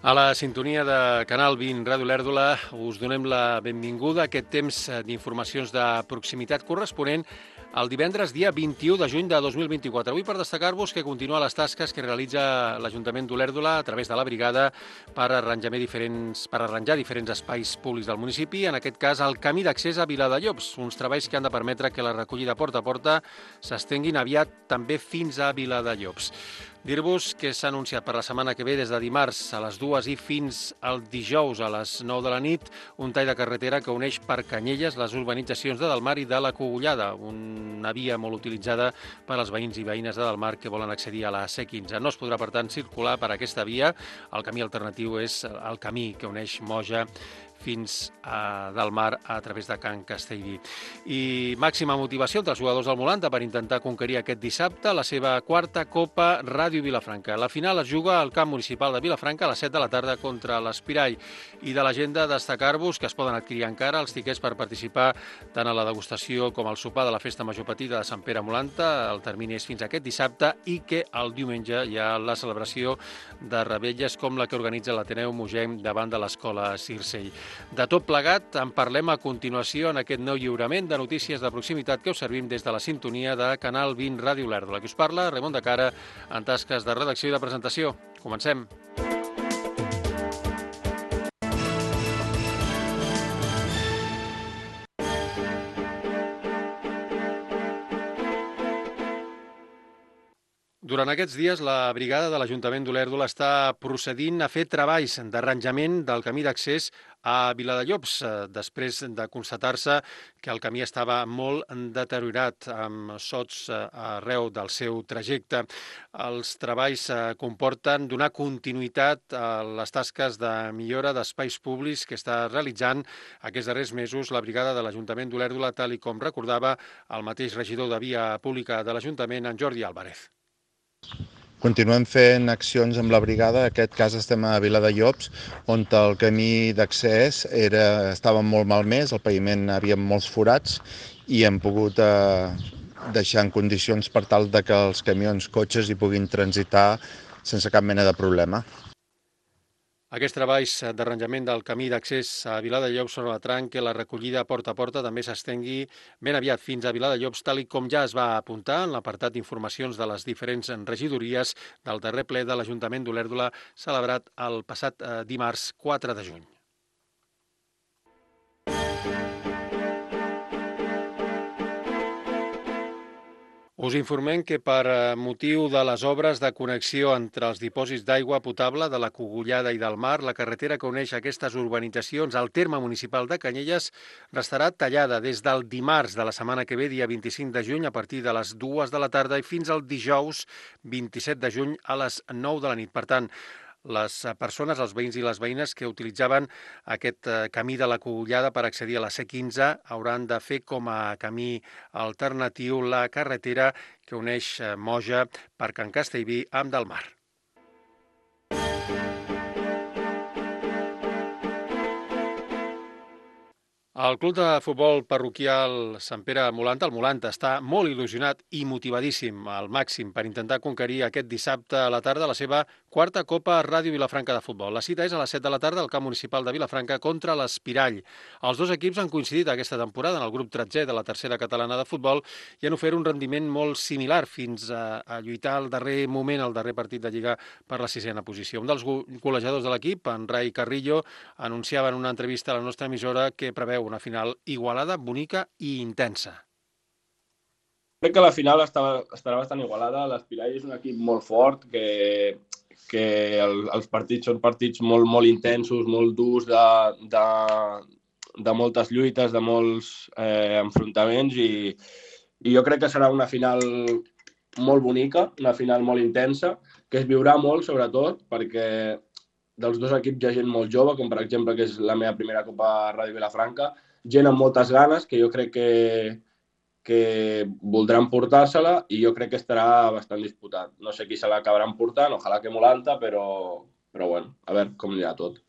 A la sintonia de Canal 20 Ràdio Lèrdula us donem la benvinguda a aquest temps d'informacions de proximitat corresponent el divendres, dia 21 de juny de 2024. Avui per destacar-vos que continua les tasques que realitza l'Ajuntament d'Olèrdola a través de la brigada per arranjar diferents espais públics del municipi, en aquest cas el camí d'accés a Viladellobs, uns treballs que han de permetre que la recollida porta a porta s'estenguin aviat també fins a Viladellobs. Dir-vos que s'ha anunciat per la setmana que ve, des de dimarts a les 2 i fins al dijous a les 9 de la nit, un tall de carretera que uneix per Canyelles les urbanitzacions de Delmar i de la Cogullada, una via molt utilitzada per als veïns i veïnes de Delmar que volen accedir a la C15. No es podrà, per tant, circular per aquesta via. El camí alternatiu és el camí que uneix Moja fins a Delmar a través de Can Castellví. I màxima motivació entre els jugadors del Molanta per intentar conquerir aquest dissabte la seva quarta Copa Ràdio Vilafranca. La final es juga al camp municipal de Vilafranca a les 7 de la tarda contra l'Espirall. I de l'agenda destacar-vos que es poden adquirir encara els tiquets per participar tant a la degustació com al sopar de la Festa Major Petita de Sant Pere Molanta. El termini és fins aquest dissabte i que el diumenge hi ha la celebració de revetlles com la que organitza l'Ateneu Mogem davant de l'Escola Circell. De tot plegat, en parlem a continuació en aquest nou lliurament de notícies de proximitat que us servim des de la sintonia de Canal 20 Ràdio Lèrdula. Qui us parla, Raimon de Cara, en tasques de redacció i de presentació. Comencem. Durant aquests dies, la brigada de l'Ajuntament d'Olèrdola està procedint a fer treballs d'arranjament del camí d'accés a Viladellobs, després de constatar-se que el camí estava molt deteriorat, amb sots arreu del seu trajecte. Els treballs comporten donar continuïtat a les tasques de millora d'espais públics que està realitzant aquests darrers mesos la brigada de l'Ajuntament d'Olèrdola, tal i com recordava el mateix regidor de Via Pública de l'Ajuntament, en Jordi Álvarez. Continuem fent accions amb la brigada, en aquest cas estem a Viladellobs, on el camí d'accés estava molt malmès, el paviment havia molts forats i hem pogut deixar en condicions per tal de que els camions, cotxes hi puguin transitar sense cap mena de problema. Aquests treballs d'arranjament del camí d'accés a Viladellobs són la tranc que la recollida porta a porta també s'estengui ben aviat fins a Viladellobs, tal i com ja es va apuntar en l'apartat d'informacions de les diferents regidories del darrer ple de l'Ajuntament d'Olèrdola celebrat el passat dimarts 4 de juny. Us informem que per motiu de les obres de connexió entre els dipòsits d'aigua potable de la Cogullada i del Mar, la carretera que uneix aquestes urbanitzacions al terme municipal de Canyelles restarà tallada des del dimarts de la setmana que ve, dia 25 de juny, a partir de les 2 de la tarda i fins al dijous 27 de juny a les 9 de la nit. Per tant, les persones, els veïns i les veïnes que utilitzaven aquest camí de la Cogullada per accedir a la C15 hauran de fer com a camí alternatiu la carretera que uneix Moja per Can Castellví amb Delmar. El club de futbol parroquial Sant Pere Molanta, el Molanta, està molt il·lusionat i motivadíssim al màxim per intentar conquerir aquest dissabte a la tarda la seva quarta Copa Ràdio Vilafranca de futbol. La cita és a les 7 de la tarda al camp municipal de Vilafranca contra l'Espirall. Els dos equips han coincidit aquesta temporada en el grup 13è de la tercera catalana de futbol i han ofert un rendiment molt similar fins a lluitar al darrer moment, al darrer partit de Lliga per la 6a posició. Un dels golejadors de l'equip, en Rai Carrillo, anunciava en una entrevista a la nostra emissora que preveu una final igualada, bonica i intensa. Crec que la final estarà bastant igualada. L'Espirall és un equip molt fort, que els partits són partits molt, molt intensos, molt durs, de moltes lluites, de molts enfrontaments, i jo crec que serà una final molt bonica, una final molt intensa, que es viurà molt, sobretot, perquè dels dos equips hi ha gent molt jove, com per exemple que és la meva primera Copa Ràdio Vilafranca, gent amb moltes ganes, que jo crec que voldran portar-se-la i jo crec que estarà bastant disputat. No sé qui se l'acabaran portant, ojalà que Molanta, però bueno, a veure com anirà tot.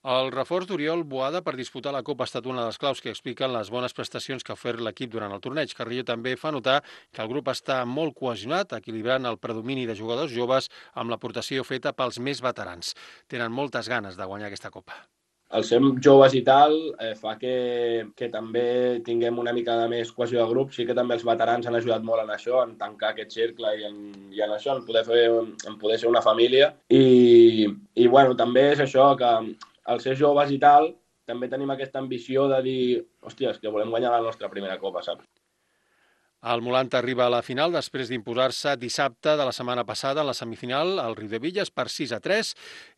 El reforç d'Oriol Boada per disputar la Copa ha estat una de les claus que expliquen les bones prestacions que ha ofert l'equip durant el torneig. Carrillo també fa notar que el grup està molt cohesionat, equilibrant el predomini de jugadors joves amb l'aportació feta pels més veterans. Tenen moltes ganes de guanyar aquesta Copa. El ser joves i tal fa que també tinguem una mica de més cohesió de grup. Sí que també els veterans han ajudat molt en això, en tancar aquest cercle i en això, en poder ser una família. I bueno, també és això, que al ser joves i tal, també tenim aquesta ambició de dir, hòstia, és que volem guanyar la nostra primera Copa, saps? El Molanta arriba a la final després d'imposar-se dissabte de la setmana passada en la semifinal al Riudebitlles per 6-3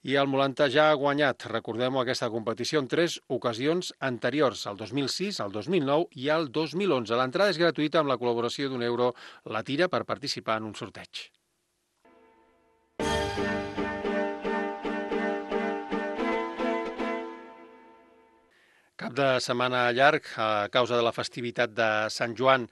i el Molanta ja ha guanyat, recordem-ho, aquesta competició en 3 ocasions anteriors, el 2006, el 2009 i el 2011. L'entrada és gratuïta amb la col·laboració d'€1 la tira per participar en un sorteig. Cap de setmana llarg a causa de la festivitat de Sant Joan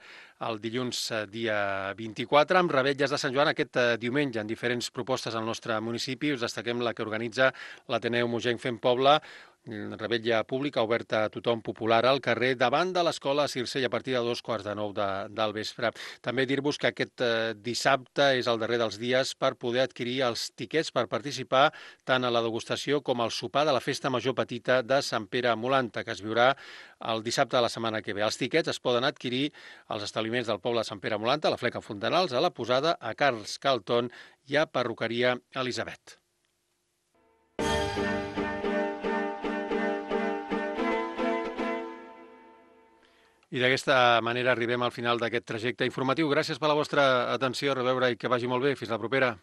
el dilluns dia 24, amb revetlles de Sant Joan aquest diumenge en diferents propostes al nostre municipi. Us destaquem la que organitza l'Ateneu Mogenc Fent Poble, revetlla pública oberta a tothom, popular al carrer, davant de l'escola Circell a partir de 8:45 del vespre. També dir-vos que aquest dissabte és el darrer dels dies per poder adquirir els tiquets per participar tant a la degustació com al sopar de la Festa Major Petita de Sant Pere Molanta, que es viurà el dissabte de la setmana que ve. Els tiquets es poden adquirir als establiments del poble de Sant Pere Molanta, a la Fleca Fontanals, a la Posada, a Carls Calton i a Perruqueria Elisabet. I d'aquesta manera arribem al final d'aquest trajecte informatiu. Gràcies per la vostra atenció, a reveure i que vagi molt bé. Fins la propera.